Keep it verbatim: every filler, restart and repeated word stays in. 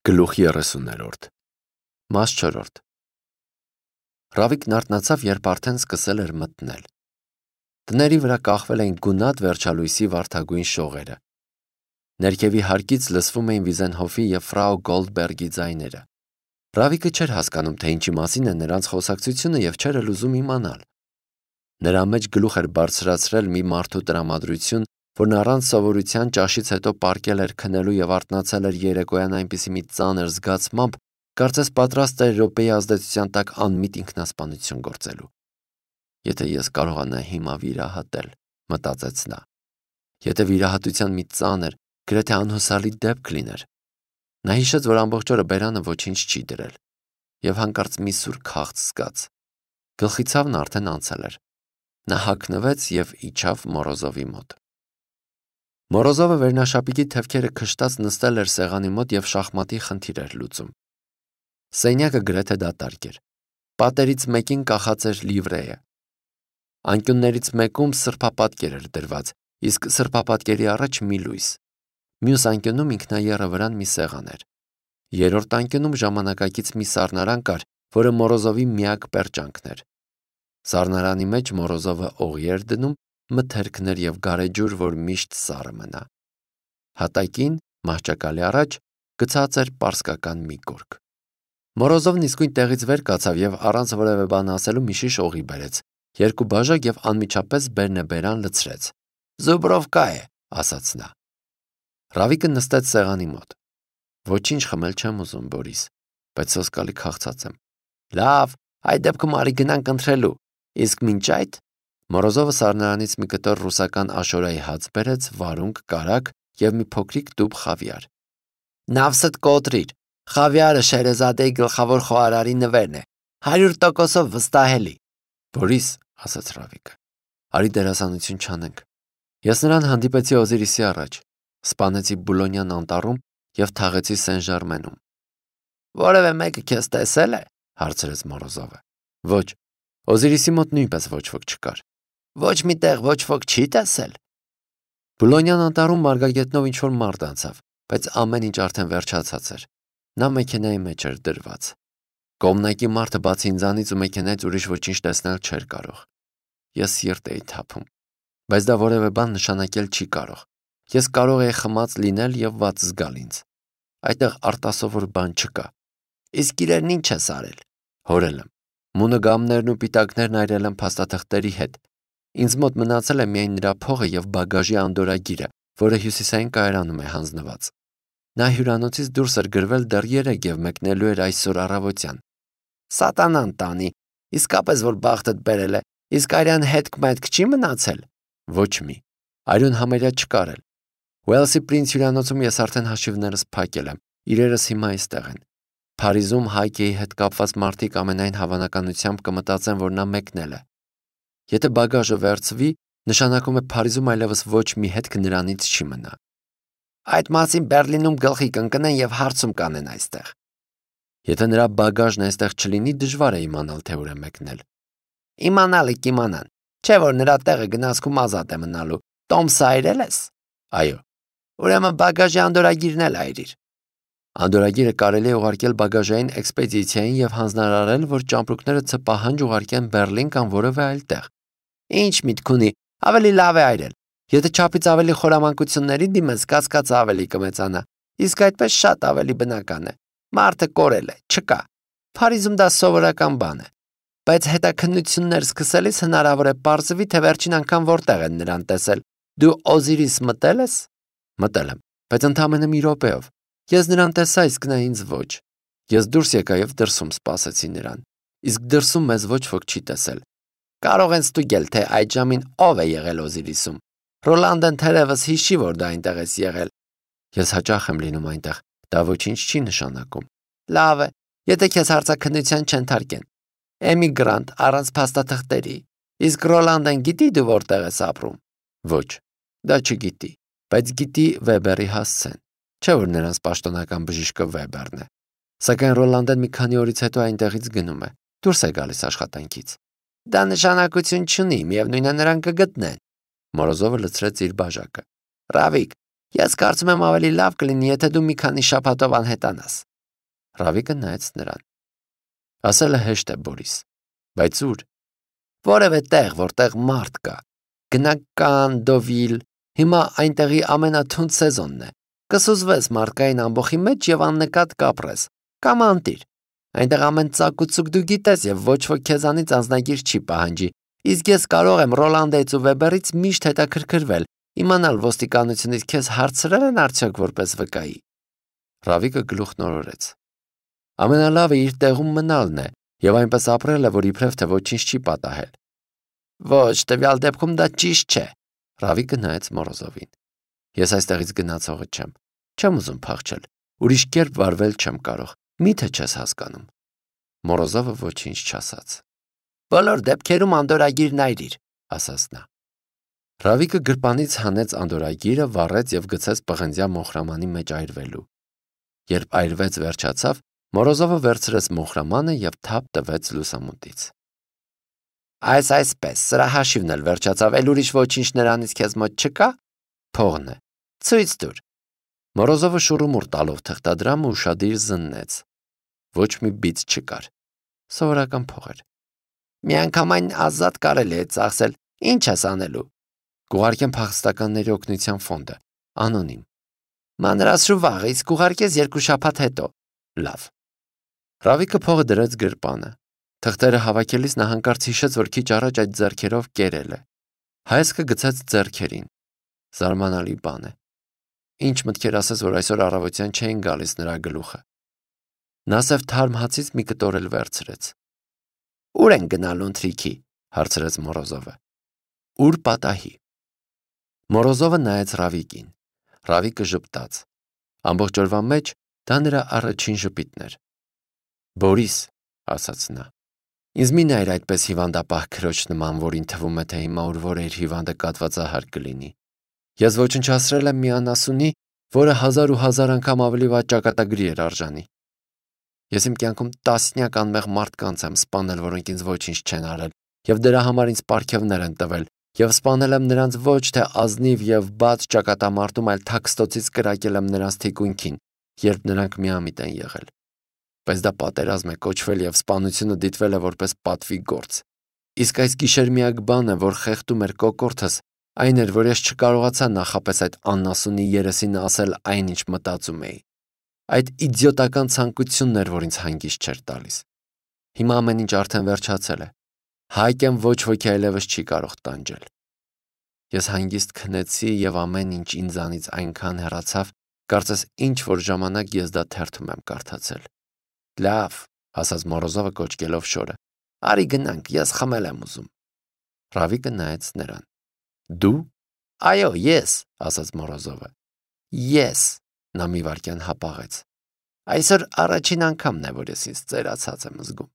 Գլուխ երեսուներորդ Մաս չորրորդ Ռավիկն արթնացավ, երբ արդեն սկսել էր մթնել։ Տների վրա կախվել էին գունատ վերջալույսի վարդագույն շողերը։ Ներքևի հարկից լսվում էին Վիզենհոֆի և ֆրաու Գոլդբերգի ձայները։ Ռավիկը չէր հասկանում, թե ինչի մասին է նրանց խոսակցությունը և չէր էլ ուզում իմանալ։ Նրա մեջ գլուխ էր բարձրացրել մի մարդու տրամադրություն, որն առանց սովորության ճաշից հետո պառկել էր քնելու և արթնացել էր երեկոյան այնպիսի մի ծանր զգացմամբ, կարծես պատրաստ էր րոպեի ազդեցության տակ անմիտ ինքնասպանություն գործելու։ Եթե ես կարողանայի հիմա վիրահատել, մտածեց նա։ Եթե վիրահատության մի ծանր, գրեթե անհուսալի դեպք լիներ։ Նա հիշեց, որ ամբողջ օրը բերանը ոչինչ չի դրել, և հանկարծ մի սուր քաղց զգաց։ Գլխի ցավն արդեն անցել էր։ Նա հագնվեց և իջավ Մորոզովի մոտ։ Մորոզովը վերնաշապիկի թևքերը քշտած նստել էր սեղանի մոտ և շախմատի խնդիր էր լուծում։ Սենյակը գրեթե դատարկ էր։ Պատերից մեկին կախած էր լիվրեյը։ Անկյուններից մեկում սրբապատկեր էր դրված, իսկ սրբապատկերի առաջ մի լույս։ Մյուս անկյունում ինքնաեռը վրան մի սեղան էր։ Երրորդ անկյունում ժամանակակից մի սառնարան կար, որը Մորոզովի միակ պերճանքն էր։ Սառնարանի մեջ Մորոզովը օղի էր դնում, մթերքներ և գարեջուր, որ միշտ սառը մնա։ Հատակին, մահճակալի առաջ, գցած էր պարսկական մի գորգ։ Մորոզովն իսկույն տեղից վեր կացավ և առանց որևէ բան ասելու մի շիշ օղի բերեց, երկու բաժակ և անմիջապես բերնեբերան լցրեց։ «Զուբրովկա է», ասաց նա։ Ռավիկը նստեց սեղանի մոտ։ «Ոչինչ խմել չեմ ուզում, Բորիս, բայց սոսկալի քաղցած եմ»։ «Լավ, այդ դեպքում արի գնանք ընթրելու, իսկ մինչ այդ…» Մորոզովը սառնարանից մի կտոր ռուսական աշորայի հաց բերեց, վարունգ, կարագ և մի փոքրիկ տուփ խավիար։ «Նավսդ կոտրիր, խավիարը Շերեզադեի գլխավոր խոհարարի նվերն է, հարյուր տոկոսով վստահելի»։ «Բորիս», ասաց Ռավիկը, «արի դերասանություն չանենք»։ Ես նրան հանդիպեցի Օզիրիսի առաջ, սպանեցի Բուլոնյան անտառում և թաղեցի Սեն-Ժարմենում։ «Որևէ մեկը քեզ տեսե՞լ է», հարցրեց Մորոզովը։ «Ոչ, Օզիրիսի մոտ նույնպես ոչ ոք չկար»։ «Ոչ մի տեղ ոչ ոք չի տեսել»։ Բուլոնյան անտառում մարգագետնով ինչ-որ մարդ անցավ, բայց ամեն ինչ արդեն վերջացած էր։ Նա մեքենայի մեջ էր դրված։ Կողմնակի մարդը բացի ինձանից ու մեքենայից ուրիշ ոչինչ տեսնել չէր կարող։ Ես սիրտ էի թափում, բայց դա որևէ բան նշանակել չի կարող։ Ես կարող էի խմած լինել և վատ զգալ ինձ։ Այդտեղ արտասովոր բան չկա։ «Իսկ իրերն ինչ ես արել»։ Հորել եմ։ Մունոգամներն ու պիտակներն այրել եմ փաստաթղթերի հետ։ Ինձ մոտ մնացել է միայն նրա փողը և բագաժի անդորրագիրը, որը հյուսիսային կայարանում է հանձնված։ Նա հյուրանոցից դուրս էր գրվել դեռ երեկ և մեկնելու էր այսօր առավոտյան։ «Սատանան տանի, իսկապես որ բախտդ բերել է, իսկ արյան հետք-մետք չի մնացել»։ Ոչ մի։ Այրուն համարյա չկար էլ։ Ուելսի Պրինց հյուրանոցում ես արդեն հաշիվներս փակել եմ, իրերս հիմա այստեղ են։ Փարիզում Հայկեի հետ կապված մարդիկ ամենայն հավանականությամբ կմտածեն, որ նա մեկնել է։ Եթե բագաժը վերցվի, նշանակում է Փարիզում այլևս ոչ մի հետք նրանից չի մնա։ Այդ մասին Բեռլինում գլխի կընկնեն և հարցում կանեն այստեղ։ Եթե նրա բագաժն այստեղ չլինի, դժվար է իմանալ, թե ուր է մեկնել։ Իմանալը կիմանան, չէ՞ որ նրա տեղը գնացքում ազատ է մնալու։ Տոմսը այրել ես։ Այո։ Ուրեմն բագաժի անդորրագիրն էլ այրիր։ Անդորրագիրը կարելի է ուղարկել բագաժային էքսպեդիցիային և հանձնարարել, որ ճամպրուկները ցպահանջ ուղարկեն Բեռլին կամ որևէ այլ տեղ։ Ինչ միտք ունի, ավելի լավ է այրել։ Եթե չափից ավելի խորամանկությունների դիմես, կասկածը ավելի կմեծանա, իսկ այդպես շատ ավելի բնական է։ Մարդը կորել է, չկա։ Փարիզում դա սովորական բան է։ Բայց հետաքննություններ սկսելիս հնարավոր է պարզվի, թե վերջին անգամ որտեղ են նրան տեսել։ Դու Օզիրիս մտել ես։ Մտել եմ, բայց ընդամենը մի րոպեով։ Ես նրան տեսա, իսկ նա ինձ ոչ։ Ես դուրս եկա և դրսում սպասեցի նրան։ Իսկ դրսում մեզ ոչ ոք չի տեսել։ Կարող են ստուգել, թե այդ ժամին ով է եղել Օզիրիսում։ Ռոլանդեն թերևս հիշի, որ դա այնտեղ ես եղել։ Ես հաճախ եմ լինում այնտեղ, դա ոչինչ չի նշանակում։ Լավ է, եթե քեզ հարցաքննության չընթարկեն։ Էմիգրանտ առանց փաստաթղթերի։ Իսկ Ռոլանդեն գիտի դու որտեղ ես ապրում։ Ոչ, դա չգիտի, բայց գիտի Վեբերի հասցեն։ Չէ՞ որ նրանց պաշտոնական բժիշկը Վեբերն է։ Սակայն Ռոլանդեն մի քանի օրից հետո այնտեղից գնում է, դուրս է գալիս աշխատանքից։ Դա նշանակություն չունի, միևնույն է նրան կգտնեն։ Մորոզովը լցրեց իր բաժակը։ Ռավիկ, ես կարծում եմ ավելի լավ կլինի, եթե դու մի քանի շաբաթով անհետանաս։ Ռավիկը նայեց նրան։ Ասելը հեշտ է, Բորիս, բայց ուր։ Որևէ տեղ, որտեղ մարդ կա։ Գնա Կանն, Դովիլ, հիմա այնտեղի ամենաթունդ սեզոնն է։ Կսուզվես մարդկային ամբոխի մեջ եւ աննկատ կապրես։ Կամ անտիր։ Այնտեղ ամեն ծակ ու ծուկ դու գիտես եւ ոչ ոք քեզանից անձնագիր չի պահանջի։ Իսկ ես կարող եմ Ռոլանդից ու Վեբերից միշտ հետաքրքրվել, իմանալ ոստիկանությունից քեզ հարցրել են արդյոք որպես վկայի։ Ռավիկը գլուխ նորորեց։ Ամենալավը իր տեղում մնալն է եւ այնպես ապրելը, որ իբրև թե ոչինչ չի պատահել։ Ոչ, տվյալ դեպքում դա ճիշտ չէ։ Ռավիկը նայեց Մորոզովին։ Ես այստեղից գնացողը չեմ։ Չեմ ուզում փախչել։ Ուրիշ կերպ վարվել չեմ կարող։ Միթե չես հասկանում։ Մորոզովը ոչինչ չասաց։ Բոլոր դեպքերում անդորագիրն այրիր, ասաց նա։ Ռավիկը գրպանից հանեց անդորագիրը, վառեց եւ գցեց պղնձյա մոխրամանի մեջ այրվելու։ Երբ այրվեց վերջացավ, Մորոզովը վերցրեց մոխրամանը եւ թափ տվեց լուսամուտից։ Այս այսպես, սրա հաշիվն էլ վերջացավ, էլ ուրիշ ոչինչ նրանից քեզ մոտ չկա։ Փողն է։ Ցույց տուր։ Մորոզովը շուռումուռ տալով թղթադրամը ուշադիր զննեց։ Ոչ մի բիծ չկար։ Սովորական փող էր։ Միանգամայն ազատ կարելի է ծախսել։ Ինչ ես անելու։ Կուղարկեմ փախստականների օգնության ֆոնդը, անոնիմ։ Մանրասրու վաղը, իսկ կուղարկես երկու շաբաթ հետո։ Լավ։ Ռավիկը փողը դրեց գրպանը։ Թղթերը հավաքելիս նա հանկարծ հիշեց, որ քիչ առաջ այդ ձեռքերով կերել է։ Հայացքը գցեց ձեռքերին։ Զարմանալի բան է։ Ինչ մտքեր ասես, որ այսօր առավոտյան չէին գալիս նրա գլուխը։ Նա սև թարմ հացից մի կտոր էլ վերցրեց։ Ուր են գնալու ընթրիքի, հարցրեց Մորոզովը։ Ուր պատահի։ Մորոզովը նայեց Ռավիկին։ Ռավիկը ժպտաց։ Ամբողջ օրվա մեջ դա նրա առաջին ժպիտն էր։ Բորիս, ասաց նա, ինձ մի նայր այդպես հիվանդապահ քրոջ նման, որին թվում է, թե հիմա ուր որ իր հիվանդը կատվածահար կլինի։ Ես ոչնչացրել եմ մի անասունի, որը հազար ու հազար անգամ ավելի վատ ճակատագրի էր արժանի։ Ես իմ կյանքում տասնյակ անմեղ մարդկանց եմ սպանել, որոնք ինձ ոչինչ չեն արել, եւ դրա համար ինձ պարգևներ են տվել, եւ սպանել եմ նրանց ոչ թե ազնիվ եւ բաց ճակատամարտում, այլ թաքստոցից կրակել եմ նրանց թիկունքին, երբ նրանք միամիտ են եղել։ Բայց դա պատերազմ է կոչվել եւ սպանությունը դիտվել է որպես պատվի գործ։ Իսկ այս գիշեր միակ բանը, որ խեղդում էր կոկորդս, այն էր, որ ես չկարողացա նախապես այդ անասունի երեսին ասել այն, ինչ մտածում էի։ Այդ իդիոտական ցանկությունն էր, որ ինձ հանգիստ չէր տալիս։ Հիմա ամեն ինչ արդեն վերջացել է։ Հայկեն ոչ ոքի այլևս չի կարող տանջել։ Ես հանգիստ քնեցի եւ ամեն ինչ ինձանից այնքան հեռացավ, կարծես ինչ որ ժամանակ ես դա թերթում եմ կարդացել։ Լավ, ասաց Մորոզովը կոչկելով շորը։ Արի գնանք, ես խմել եմ ուզում։ Ռավիկը նայեց նրան։ Դու։ Այո, ես, ասաց Մորոզովը։ Ես, նա մի վարքյան հապաղեց։ Այսօր առաջին անգամն է, որ ես ինձ ծերացած եմ զգում։